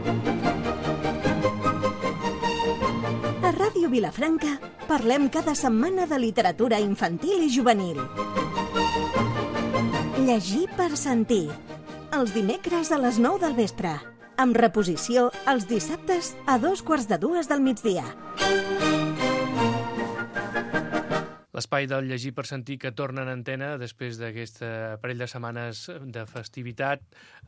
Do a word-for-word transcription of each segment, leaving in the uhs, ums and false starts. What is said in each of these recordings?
A Ràdio Vilafranca parlem cada setmana de literatura infantil i juvenil. Llegir per sentir. Els dimecres a les nou del vespre. Amb reposició els dissabtes a dos quarts de dues del migdia. L'espai del Llegir per sentir que torna en antena després d'aquesta parell de setmanes de festivitat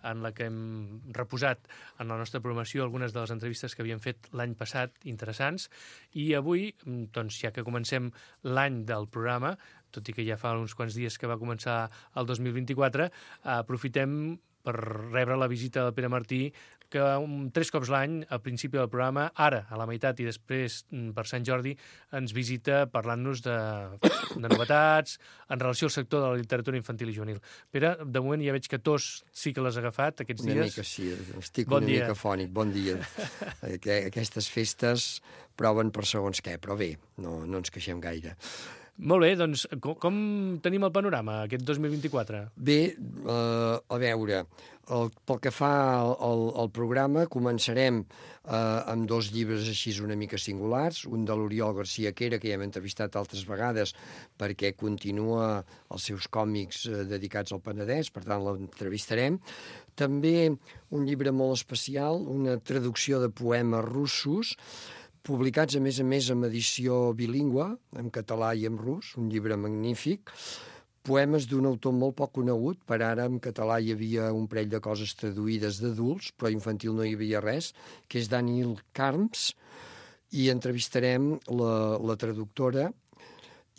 en la que hem reposat en la nostra programació algunes de les entrevistes que havíem fet l'any passat, interessants, i avui, doncs, ja que comencem l'any del programa, tot i que ja fa uns quants dies que va començar el dos mil vint-i-quatre, aprofitem per rebre la visita del Pere Martí, que un, tres cops l'any, al principi del programa, ara, a la meitat i després per Sant Jordi, ens visita parlant-nos de, de novetats en relació al sector de la literatura infantil i juvenil. Pere, de moment ja veig que tos sí que l'has agafat aquests una dies. Una mica sí, estic bon una dia. mica fònic. Bon dia. Aquestes festes proven per segons què, però bé, no, no ens queixem gaire. Molt bé, doncs com, com tenim el panorama aquest dos mil vint-i-quatre? Bé, eh, a veure, el, pel que fa al, al, al programa, començarem eh, amb dos llibres així una mica singulars, un de l'Oriol García Quera, que ja hem entrevistat altres vegades, perquè continua els seus còmics eh, dedicats al Penedès, per tant l'entrevistarem. També un llibre molt especial, una traducció de poemes russos, publicats, a més a més, en edició bilingüe, en català i en rus, un llibre magnífic, poemes d'un autor molt poc conegut, per ara en català hi havia un parell de coses traduïdes d'adults, però infantil no hi havia res, que és Daniel Carms, i entrevistarem la, la traductora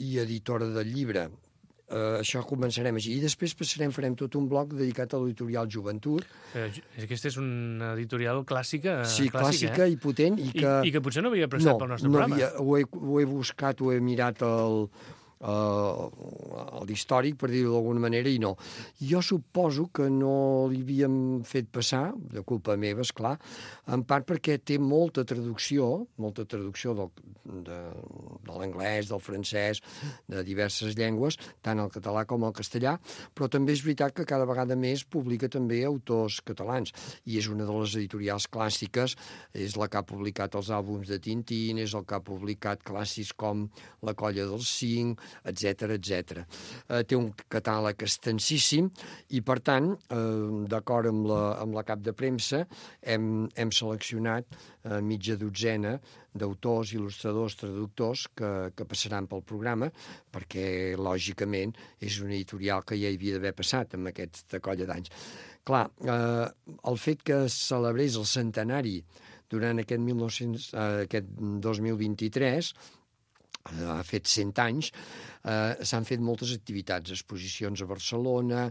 i editora del llibre. Uh, això començarem així. I després passarem, farem tot un bloc dedicat a l'editorial Joventut. Eh, aquesta és una editorial clàssica, sí, clàssica, clàssica eh? i potent. I que, I, i que potser no havia prestat no, pel nostre no programa. Havia, ho, he, ho he buscat, ho he mirat al... Uh, l'històric, per dir-ho d'alguna manera, i no. Jo suposo que no li havíem fet passar, de culpa meva, esclar, en part perquè té molta traducció, molta traducció del, de, de l'anglès, del francès, de diverses llengües, tant el català com el castellà, però també és veritat que cada vegada més publica també autors catalans, i és una de les editorials clàssiques, és la que ha publicat els àlbums de Tintín, és el que ha publicat clàssics com La colla dels cinc, etcètera, etcètera. Eh, té un catàleg extensíssim i, per tant, eh, d'acord amb la, amb la cap de premsa, hem, hem seleccionat eh, mitja dotzena d'autors, il·lustradors, traductors que, que passaran pel programa, perquè, lògicament, és una editorial que ja hi havia d'haver passat amb aquesta colla d'anys. Clar, eh, el fet que es celebrés el centenari durant aquest, mil nou-cents, eh, aquest dos mil vint-i-tres, ha fet cent anys, eh, s'han fet moltes activitats, exposicions a Barcelona,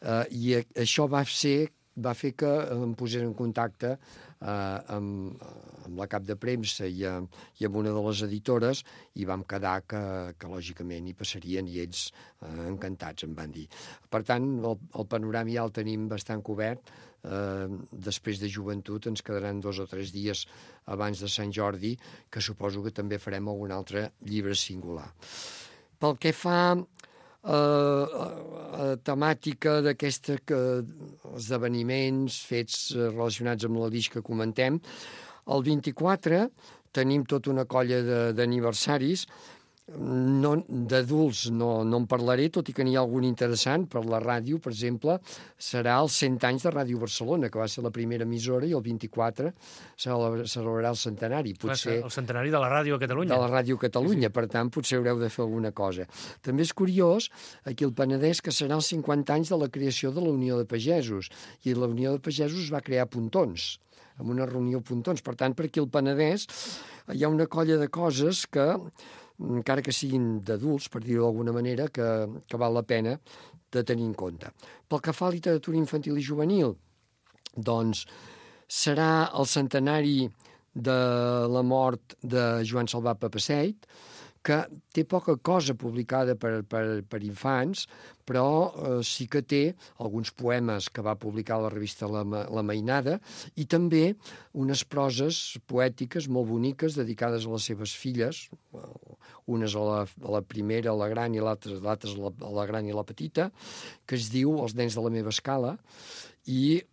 eh, i això va ser va fer que em posés en contacte eh, amb, amb la cap de premsa i, a, i amb una de les editores, i vam quedar que, que lògicament hi passarien, i ells eh, encantats em van dir. Per tant, el, el panorama ja el tenim bastant cobert. Eh, després de Joventut ens quedaran dos o tres dies abans de Sant Jordi, que suposo que també farem algun altre llibre singular. Pel que fa a uh, temàtica d'aquesta esdeveniments fets relacionats amb la Lis que comentem, el vint-i-quatre tenim tota una colla d'aniversaris. No, d'adults no, no en parlaré, tot i que n'hi ha algun interessant. Per la ràdio, per exemple, serà els cent anys de Ràdio Barcelona, que va ser la primera emissora, i el vint-i-quatre celebrarà el centenari. Potser, el centenari de la ràdio a Catalunya. De la ràdio a Catalunya, sí, sí. Per tant, potser haureu de fer alguna cosa. També és curiós, aquí al Penedès, que serà els cinquanta anys de la creació de la Unió de Pagesos, i la Unió de Pagesos es va crear a Pontons, amb una reunió a Pontons. Per tant, per aquí al Penedès hi ha una colla de coses que, encara que siguin d'adults, per dir-ho d'alguna manera, que, que val la pena de tenir en compte. Pel que fa a literatura infantil i juvenil, doncs serà el centenari de la mort de Joan Salvat Papasseit, que té poca cosa publicada per, per, per infants, però eh, sí que té alguns poemes que va publicar a la revista La, la Mainada, i també unes proses poètiques molt boniques dedicades a les seves filles, unes a la, a la primera, a la gran, i l'altra a la, a la gran i la petita, que es diu Els nens de la meva escala, i,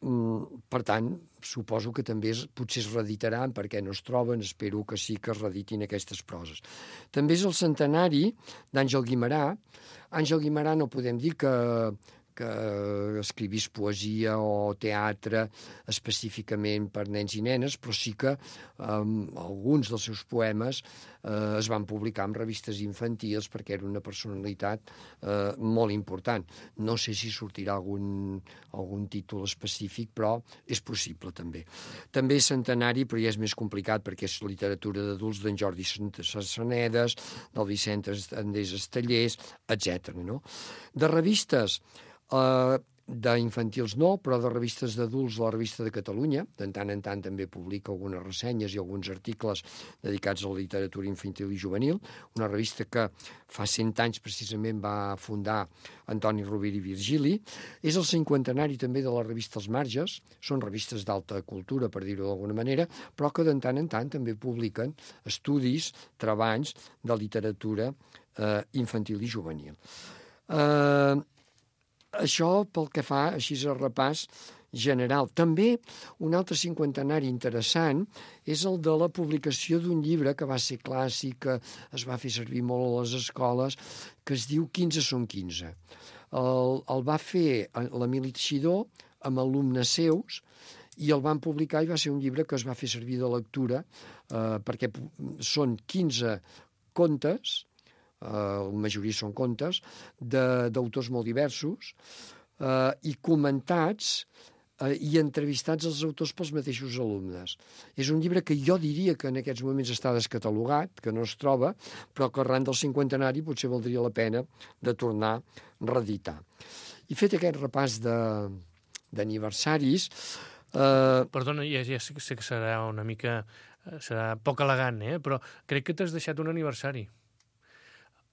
per tant, suposo que també es, potser es reeditaran perquè no es troben, espero que sí que es reeditin aquestes proses. També és el centenari d'Àngel Guimerà. Àngel Guimerà no podem dir que, que escrivís poesia o teatre específicament per nens i nenes, però sí que um, alguns dels seus poemes eh, es van publicar en revistes infantils perquè era una personalitat eh, molt important. No sé si sortirà algun, algun títol específic, però és possible també. També és centenari, però ja és més complicat perquè és literatura d'adults d'en Jordi Sassanedes, del Vicent Andrés Estellers, etcètera. No? De revistes, Uh, d'infantils no, però de revistes d'adults, la Revista de Catalunya, de tant en tant també publica algunes ressenyes i alguns articles dedicats a la literatura infantil i juvenil, una revista que fa cent anys precisament va fundar Antoni Rovira i Virgili. És el cinquantenari també de la revista Els Marges, són revistes d'alta cultura, per dir-ho d'alguna manera, però que de tant en tant també publiquen estudis, treballs de literatura eh, infantil i juvenil. Eh... Això pel que fa, així a repàs general. També un altre cinquantenari interessant és el de la publicació d'un llibre que va ser clàssic, que es va fer servir molt a les escoles, que es diu quinze són quinze. El, el va fer l'Emili Teixidor amb alumnes seus i el van publicar i va ser un llibre que es va fer servir de lectura eh, perquè són quinze contes, Uh, la majoria són contes, d'autors molt diversos uh, i comentats uh, i entrevistats els autors pels mateixos alumnes. És un llibre que jo diria que en aquests moments està descatalogat, que no es troba, però que arran del cinquantenari potser valdria la pena de tornar a reeditar. I fet aquest repàs d'aniversaris... Uh... Perdona, ja, ja sé que serà una mica... serà poc elegant, eh? Però crec que t'has deixat un aniversari.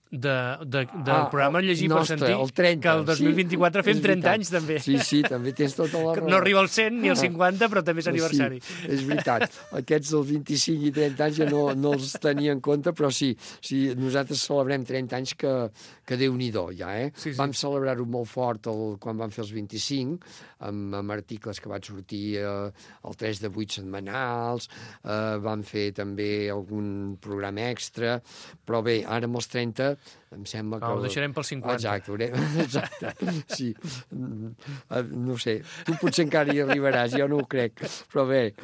De, de, del ah, programa Llegir nostre, per sentir, el trenta, que el dos mil vint-i-quatre sí, fem trenta anys, també. Sí, sí, també tens tota la raó. No arriba al cent ni al cinquanta, però també és aniversari. Sí, és veritat. Aquests del vint-i-cinc i trenta anys ja no, no els tenia en compte, però sí, sí, nosaltres celebrem trenta anys que, que Déu-n'hi-do, ja, eh? Sí, sí. Vam celebrar-ho molt fort el, quan vam fer els vint-i-cinc, amb, amb articles que van sortir eh, el tres de vuit setmanals, eh, vam fer també algun programa extra, però bé, ara amb els trenta em sembla que... No, ho deixarem pel cinquanta. Exacte, exacte, sí. No sé, tu potser encara hi arribaràs, jo no ho crec, però bé.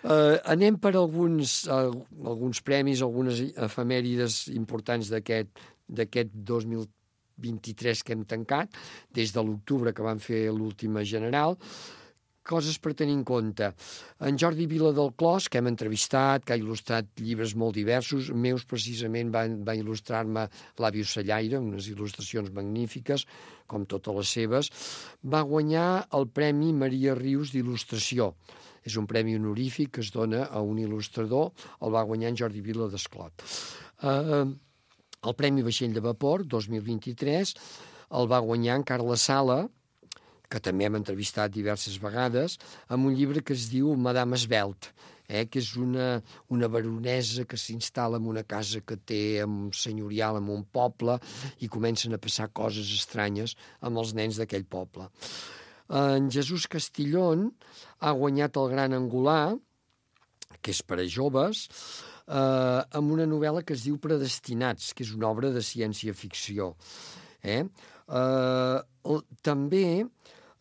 Uh, anem per alguns, uh, alguns premis, algunes efemèrides importants d'aquest d'aquest dos mil vint-i-tres que hem tancat, des de l'octubre que vam fer l'última general. Coses per tenir en compte. En Jordi Vila del Clos, que hem entrevistat, que ha il·lustrat llibres molt diversos, meus precisament va, va il·lustrar-me L'Àvius Sallaire, unes il·lustracions magnífiques, com totes les seves, va guanyar el Premi Maria Rius d'il·lustració. És un premi honorífic que es dona a un il·lustrador, el va guanyar en Jordi Vila d'Esclot. Uh, el Premi Vaixell de Vapor, dos mil vint-i-tres, el va guanyar en Carles Sala, que també hem entrevistat diverses vegades, amb un llibre que es diu Madame Esbelt, eh, que és una, una baronesa que s'instal·la en una casa que té un senyorial en un poble i comencen a passar coses estranyes amb els nens d'aquell poble. En Jesús Castillón ha guanyat el Gran Angular, que és per a joves, eh, amb una novel·la que es diu Predestinats, que és una obra de ciència-ficció. Eh? Eh, també,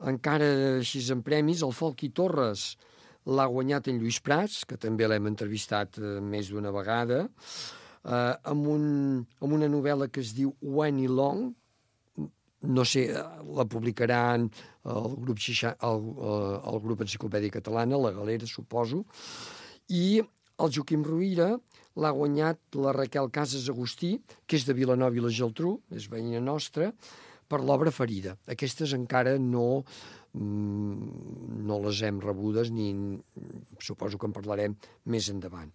encara així en premis, el Folchi Torres l'ha guanyat en Lluís Prats, que també l'hem entrevistat eh, més d'una vegada, eh, amb, un, amb una novel·la que es diu When i Long, no sé, la publicaran el grup, Xixa, el, el grup Enciclopèdia Catalana, la Galera, suposo, i el Joaquim Ruïra l'ha guanyat la Raquel Casas Agustí, que és de Vilanova i la Geltrú, és veïna nostra, per l'obra Ferida. Aquestes encara no, no les hem rebudes, ni suposo que en parlarem més endavant.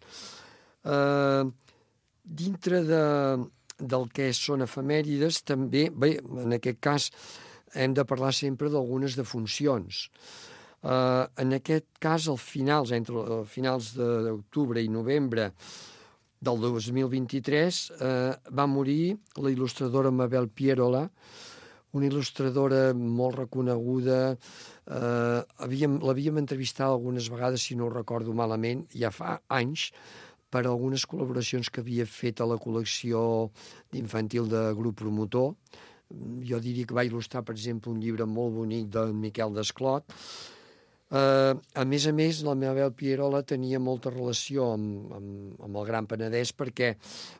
Uh, dintre de, del que són efemèrides, també, bé, en aquest cas hem de parlar sempre d'algunes defuncions. Uh, en aquest cas, al finals, entre uh, finals d'octubre i novembre del dos mil vint-i-tres, eh, va morir la il·lustradora Mabel Pierola, una il·lustradora molt reconeguda. Eh, havíem, l'havíem entrevistat algunes vegades, si no ho recordo malament, ja fa anys, per algunes col·laboracions que havia fet a la col·lecció d'infantil de Grup Promotor. Jo diria que va il·lustrar, per exemple, un llibre molt bonic del Miquel Desclot. Uh, a més a més, la Mabel Pierola tenia molta relació amb, amb, amb el Gran Penedès perquè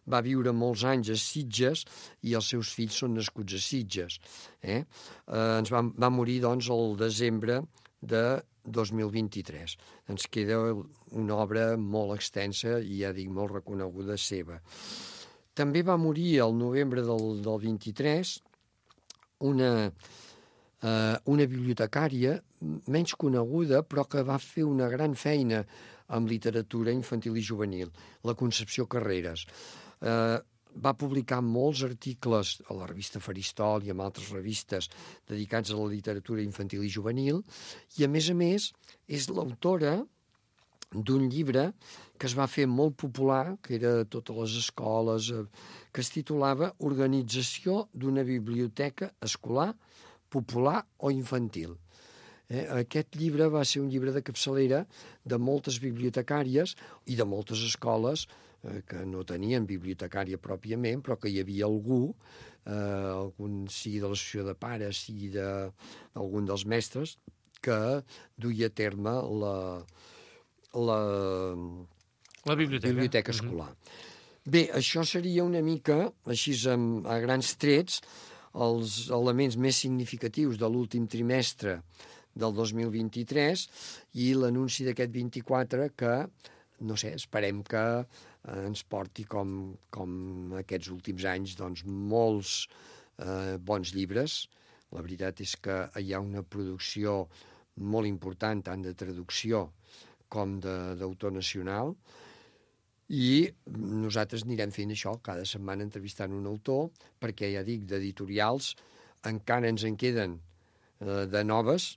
va viure molts anys a Sitges i els seus fills són nascuts a Sitges. Eh? Uh, ens va, va morir, doncs, el desembre de dos mil vint-i-tres. Ens queda una obra molt extensa i, ja dic, molt reconeguda seva. També va morir el novembre del, del vint-i-tres una... Uh, una bibliotecària menys coneguda, però que va fer una gran feina amb literatura infantil i juvenil, la Concepció Carreras. Uh, va publicar molts articles a la revista Faristol i en altres revistes dedicats a la literatura infantil i juvenil, i a més a més és l'autora d'un llibre que es va fer molt popular, que era a totes les escoles, eh, que es titulava Organització d'una biblioteca escolar popular o infantil. Eh, aquest llibre va ser un llibre de capçalera de moltes bibliotecàries i de moltes escoles eh, que no tenien bibliotecària pròpiament, però que hi havia algú, eh, algun, sigui de l'associació de pares, sigui d'algun de, dels mestres, que duia a terme la, la, la biblioteca, biblioteca escolar. Mm-hmm. Bé, això seria una mica, així a grans trets, els elements més significatius de l'últim trimestre del dos mil vint-i-tres i l'anunci d'aquest vint-i-quatre que, no sé, esperem que ens porti com, com aquests últims anys, doncs, molts eh, bons llibres. La veritat és que hi ha una producció molt important, tant de traducció com d'autor nacional, i nosaltres anirem fent això, cada setmana entrevistant un autor, perquè, ja dic, d'editorials encara ens en queden eh, de noves,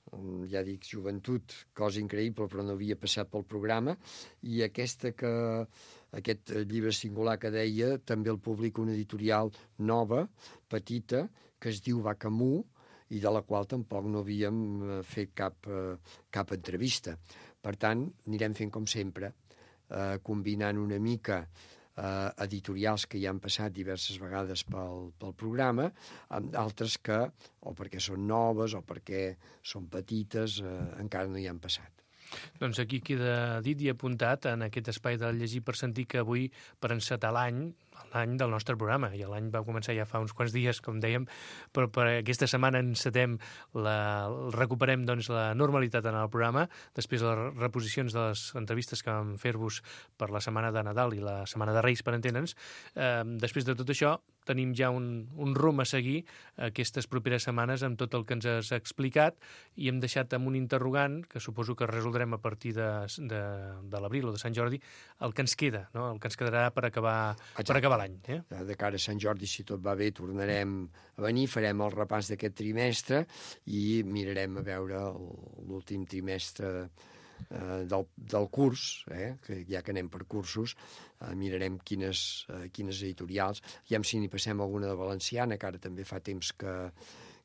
ja dic, Joventut, cosa increïble, però no havia passat pel programa, i aquesta que, aquest llibre singular que deia, també el publica una editorial nova, petita, que es diu Bacamú, i de la qual tampoc no havíem fet cap, eh, cap entrevista. Per tant, anirem fent com sempre, Eh, combinant una mica eh, editorials que ja han passat diverses vegades pel, pel programa, amb altres que, o perquè són noves o perquè són petites, eh, encara no hi han passat. Doncs aquí queda dit i apuntat en aquest espai del Llegir per Sentir que avui, per encetar l'any, l'any del nostre programa, i l'any va començar ja fa uns quants dies, com dèiem, però per aquesta setmana encetem, la, recuperem doncs, la normalitat en el programa, després de les reposicions de les entrevistes que vam fer-vos per la setmana de Nadal i la setmana de Reis, per entendre'ns. Eh, després de tot això, tenim ja un, un rumb a seguir aquestes properes setmanes amb tot el que ens has explicat i hem deixat amb un interrogant, que suposo que resoldrem a partir de, de, de l'abril o de Sant Jordi, el que ens queda, no? El que ens quedarà per acabar, per acabar l'any. Eh? De cara a Sant Jordi, si tot va bé, tornarem a venir, farem el repàs d'aquest trimestre i mirarem a veure l'últim trimestre eh, del, del curs, eh, que ja que anem per cursos, eh, mirarem quines, eh, quines editorials, ja si n'hi passem alguna de valenciana, que ara també fa temps que,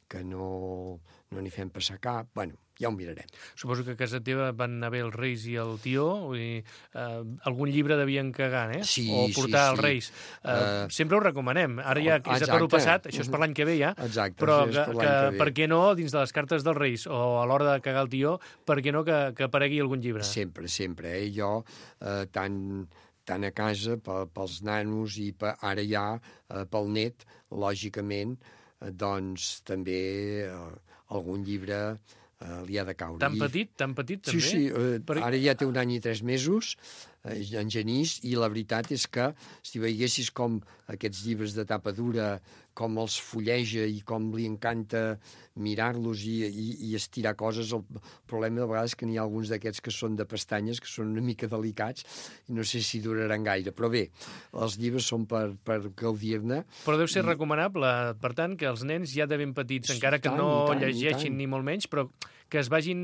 que no no n'hi fem passar cap. Bueno, ja ho mirarem. Suposo que a casa teva van anar bé els Reis i el Tió, i, eh, algun llibre devien cagar, eh? Sí, o portar sí, els sí. Reis. Eh, Uh, sempre ho recomanem. Ara ja és exacte. a toro passat, això és per l'any que ve ja, Exacte, però sí, és que, per que, l'any que ve. per què no, dins de les cartes dels Reis o a l'hora de cagar el Tió, per què no que, que aparegui algun llibre? Sempre, sempre. Eh? Jo, eh, tant, tant a casa, pels nanos i per, ara ja eh, pel net, lògicament, eh, doncs també eh, algun llibre eh, li ha de caure. Tan petit, tan petit també? Sí, sí, eh, per... ara ja té un any i tres mesos, eh, en Genís, i la veritat és que si veiessis com aquests llibres de tapa dura, com els fulleja i com li encanta mirar-los i, i, i estirar coses, el problema de vegades és que n'hi ha alguns d'aquests que són de pestanyes, que són una mica delicats, i no sé si duraran gaire. Però bé, els llibres són per, per gaudir-ne. Però deu ser i... recomanable, per tant, que els nens ja de ben petits, encara que tant, no tant, llegeixin ni molt menys, però que es vagin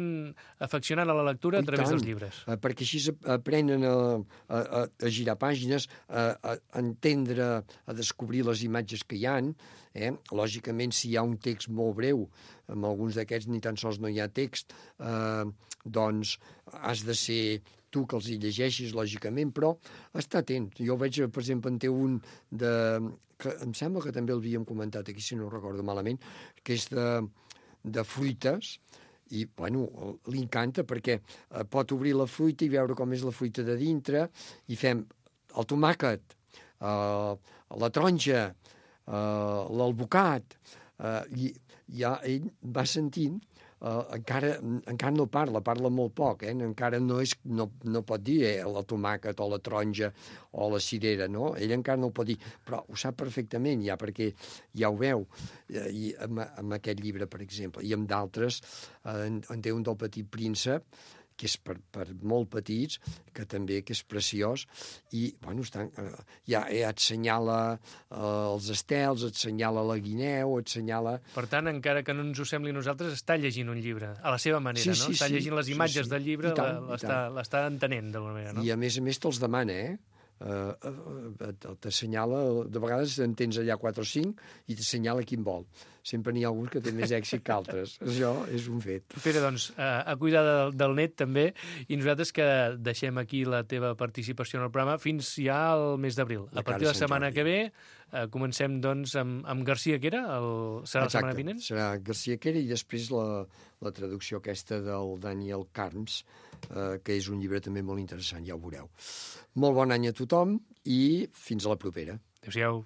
afeccionant a la lectura a través dels llibres. Eh, perquè així aprenen a, a, a girar pàgines, a, a entendre, a descobrir les imatges que hi ha. Eh? Lògicament, si hi ha un text molt breu, amb alguns d'aquests ni tan sols no hi ha text, eh, doncs has de ser tu que els hi llegeixis, lògicament, però està atent. Jo veig, per exemple, en té un de... que em sembla que també l'havíem comentat aquí, si no ho recordo malament, que és de, de fruites, i, bueno, li encanta perquè eh, pot obrir la fruita i veure com és la fruita de dintre, i fem el tomàquet, eh, la taronja, eh, l'alvocat, eh, i ja ell va sentint. Uh, encara, encara no parla, parla molt poc, eh? Encara no, és, no, no pot dir eh, la tomàquet o la taronja o la cirera, no? Ell encara no ho pot dir, però ho sap perfectament ja, perquè ja ho veu, eh, i amb, amb aquest llibre, per exemple, i amb d'altres, eh, en, en té un del Petit Príncep, que és per, per molt petits, que també que és preciós, i bueno, estan, eh, ja, ja et senyala eh, els estels, et senyala la guineu, et senyala... Per tant, encara que no ens ho sembli a nosaltres, està llegint un llibre, a la seva manera, sí, no? Sí, està sí, llegint les imatges sí, sí. del llibre, tant, l'està entenent d'alguna manera, no? I a més a més te'ls demana, eh? Uh, uh, uh, t'assenyala, de vegades en tens allà quatre o cinc i t'assenyala quin vol. Sempre n'hi ha alguns que té més èxit que altres. Això és un fet. Pere, doncs, uh, a cuidar del, del net també, i nosaltres que deixem aquí la teva participació en el programa fins ja al mes d'abril. A partir de la setmana que ve uh, comencem doncs amb, amb Garcia Quera, el... serà la setmana vinent? Serà Garcia Quera i després la, la traducció aquesta del Daniel Carms, uh, que és un llibre també molt interessant, ja ho veureu. Molt bon any a tothom i fins a la propera. Adéu-siau.